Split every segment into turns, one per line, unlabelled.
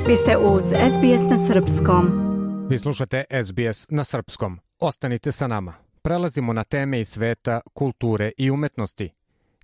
Vi ste uz SBS na Srpskom.
Vi slušate SBS na Srpskom. Ostanite sa nama. Prelazimo na teme iz sveta, kulture i umetnosti.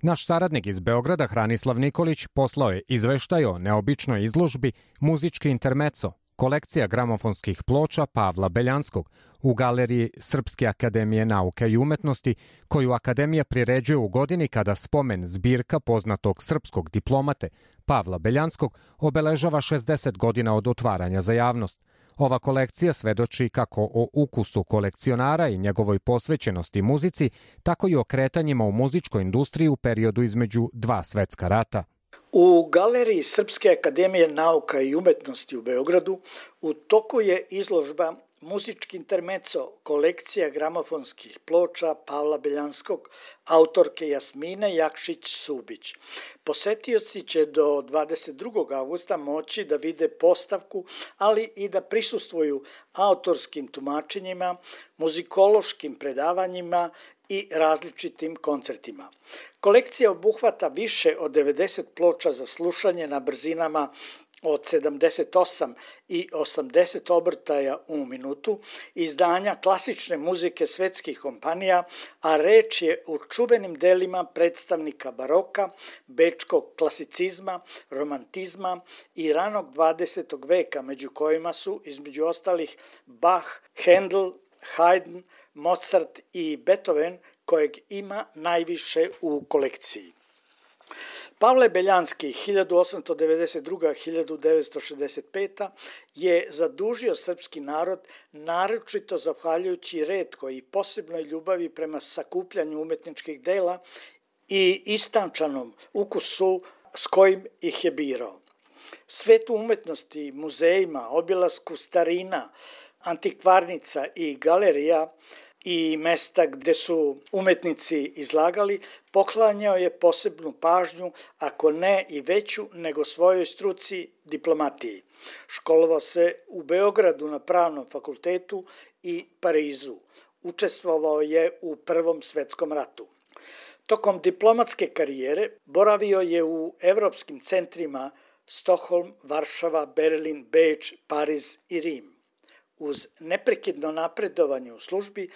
Naš saradnik iz Beograda, Hranislav Nikolić, poslao je izveštaj o neobičnoj izložbi Muzički intermeco, kolekcija gramofonskih ploča Pavla Beljanskog u Galeriji Srpske akademije nauke i umetnosti, koju Akademija priređuje u godini kada spomen zbirka poznatog srpskog diplomate Pavla Beljanskog obeležava 60 godina od otvaranja za javnost. Ova kolekcija svedoči kako o ukusu kolekcionara i njegovoj posvećenosti muzici, tako i o kretanjima u muzičkoj industriji u periodu između dva svetska rata.
U Galeriji Srpske akademije nauka i umetnosti u Beogradu u toku je izložba Muzički intermeco, kolekcija gramofonskih ploča Pavla Beljanskog, autorke Jasmine Jakšić-Subić. Posetioci će do 22. augusta moći da vide postavku, ali i da prisustvuju autorskim tumačenjima, muzikološkim predavanjima i različitim koncertima. Kolekcija obuhvata više od 90 ploča za slušanje na brzinama od 78 i 80 obrtaja u minutu, izdanja klasične muzike svetskih kompanija, a reč je o čuvenim delima predstavnika baroka, bečkog klasicizma, romantizma i ranog 20. veka, među kojima su, između ostalih, Bach, Handel, Haydn, Mozart i Beethoven, kojeg ima najviše u kolekciji. Pavle Beljanski 1892-1965 je zadužio srpski narod naročito zahvaljujući retkoj i posebnoj ljubavi prema sakupljanju umetničkih dela i istančanom ukusu s kojim ih je birao. Svetu umetnosti, muzejima, obilasku starina, antikvarnica i galerija i mesta gde su umetnici izlagali, poklanjao je posebnu pažnju, ako ne i veću nego svojoj struci diplomatiji. Školovao se u Beogradu na Pravnom fakultetu i Parizu. Učestvovao je u Prvom svetskom ratu. Tokom diplomatske karijere boravio je u evropskim centrima Stockholm, Varšava, Berlin, Beč, Pariz i Rim. Uz neprekidno napredovanje u službi,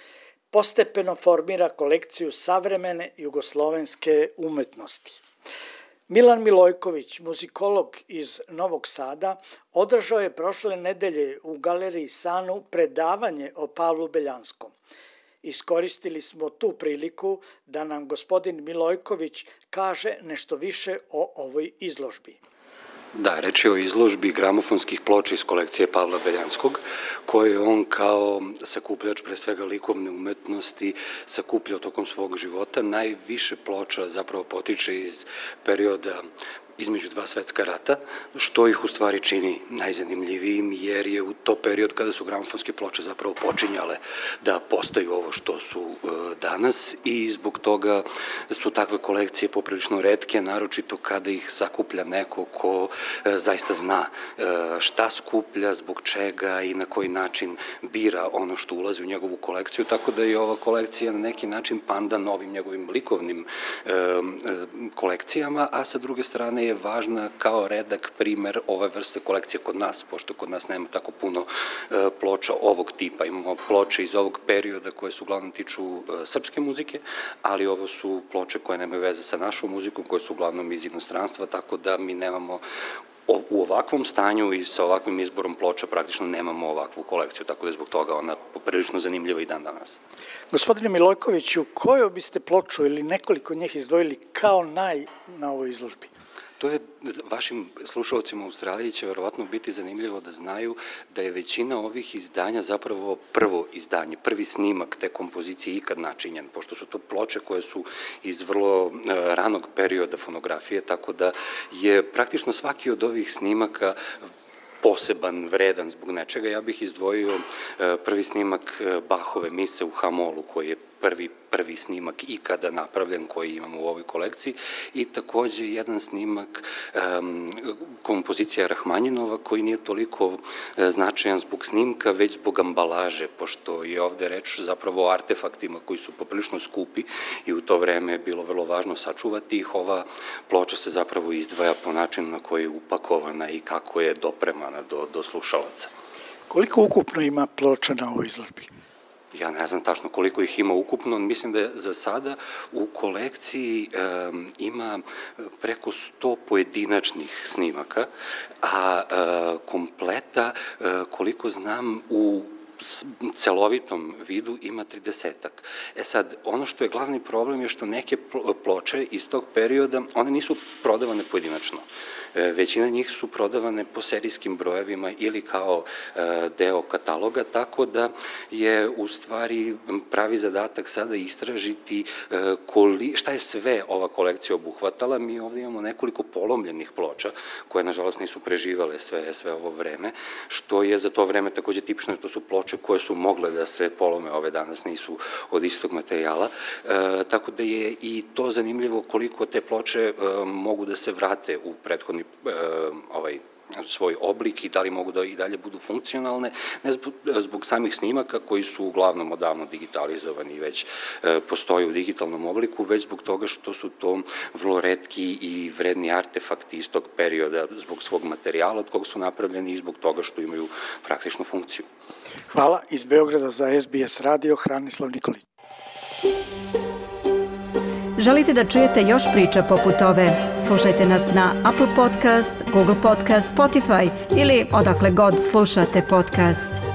postepeno formira kolekciju savremene jugoslovenske umetnosti. Milan Milojković, muzikolog iz Novog Sada, održao je prošle nedelje u Galeriji Sanu predavanje o Pavlu Beljanskom. Iskoristili smo tu priliku da nam gospodin Milojković kaže nešto više o ovoj izložbi.
Da, reč je o izložbi gramofonskih ploča iz kolekcije Pavla Beljanskog, koje je on kao sakupljač pre svega likovne umetnosti sakupljao tokom svog života. Najviše ploča zapravo potiče iz perioda između dva svetska rata, što ih u stvari čini najzanimljivijim, jer je u to period kada su gramofonske ploče zapravo počinjale da postaju ovo što su danas i zbog toga su takve kolekcije poprilično retke, naročito kada ih sakuplja neko ko zaista zna šta skuplja, zbog čega i na koji način bira ono što ulazi u njegovu kolekciju, tako da je ova kolekcija na neki način pandan novim njegovim likovnim kolekcijama, a sa druge strane je važna kao redak primer ove vrste kolekcije kod nas, pošto kod nas nema tako puno ploča ovog tipa. Imamo ploče iz ovog perioda koje su uglavnom tiču srpske muzike, ali ovo su ploče koje nemaju veze sa našom muzikom, koje su uglavnom iz inostranstva, tako da mi nemamo u ovakvom stanju i sa ovakvim izborom ploča praktično nemamo ovakvu kolekciju, tako da je zbog toga ona poprilično zanimljiva i dan danas.
Gospodine Milojkoviću, koju biste ploču ili nekoliko njih izdvojili kao na ovoj izložbi?
To je vašim slušalcima u Australiji će verovatno biti zanimljivo da znaju da je većina ovih izdanja zapravo prvo izdanje, prvi snimak te kompozicije ikad načinjen, pošto su to ploče koje su iz vrlo ranog perioda fonografije, tako da je praktično svaki od ovih snimaka poseban, vredan zbog nečega. Ja bih izdvojio prvi snimak Bachove mise u H-molu, koji je prvi snimak ikada napravljen koji imamo u ovoj kolekciji i takođe jedan snimak kompozicija Rahmanjinova koji nije toliko značajan zbog snimka, već zbog ambalaže, pošto je ovde reč zapravo o artefaktima koji su poprilično skupi i u to vreme je bilo vrlo važno sačuvati ih. Ova ploča se zapravo izdvaja po načinu na koji je upakovana i kako je dopremana do slušalaca.
Koliko ukupno ima ploča na ovoj izložbi?
Ja ne znam tačno koliko ih ima ukupno, mislim da je za sada u kolekciji ima preko 100 pojedinačnih snimaka, a kompleta, koliko znam, u celovitom vidu ima 30-ak. Sad, ono što je glavni problem je što neke ploče iz tog perioda, one nisu prodavane pojedinačno. Većina njih su prodavane po serijskim brojevima ili kao deo kataloga, tako da je u stvari pravi zadatak sada istražiti šta je sve ova kolekcija obuhvatala. Mi ovde imamo nekoliko polomljenih ploča, koje nažalost nisu preživale sve ovo vreme, što je za to vreme takođe tipično, to su ploče koje su mogle da se polome, ove danas nisu od istog materijala, tako da je i to zanimljivo koliko te ploče mogu da se vrate u prethodni svoj oblik i da li mogu da i dalje budu funkcionalne, ne zbog samih snimaka koji su uglavnom odavno digitalizovani i već postoje u digitalnom obliku, već zbog toga što su to vrlo retki i vredni artefakti iz tog perioda zbog svog materijala od kog su napravljeni i zbog toga što imaju praktičnu funkciju.
Hvala. Iz Beograda za SBS radio, Hranislav Nikolić.
Želite da čujete još priča poput ove? Slušajte nas na Apple Podcast, Google Podcast, Spotify ili odakle god slušate podcast.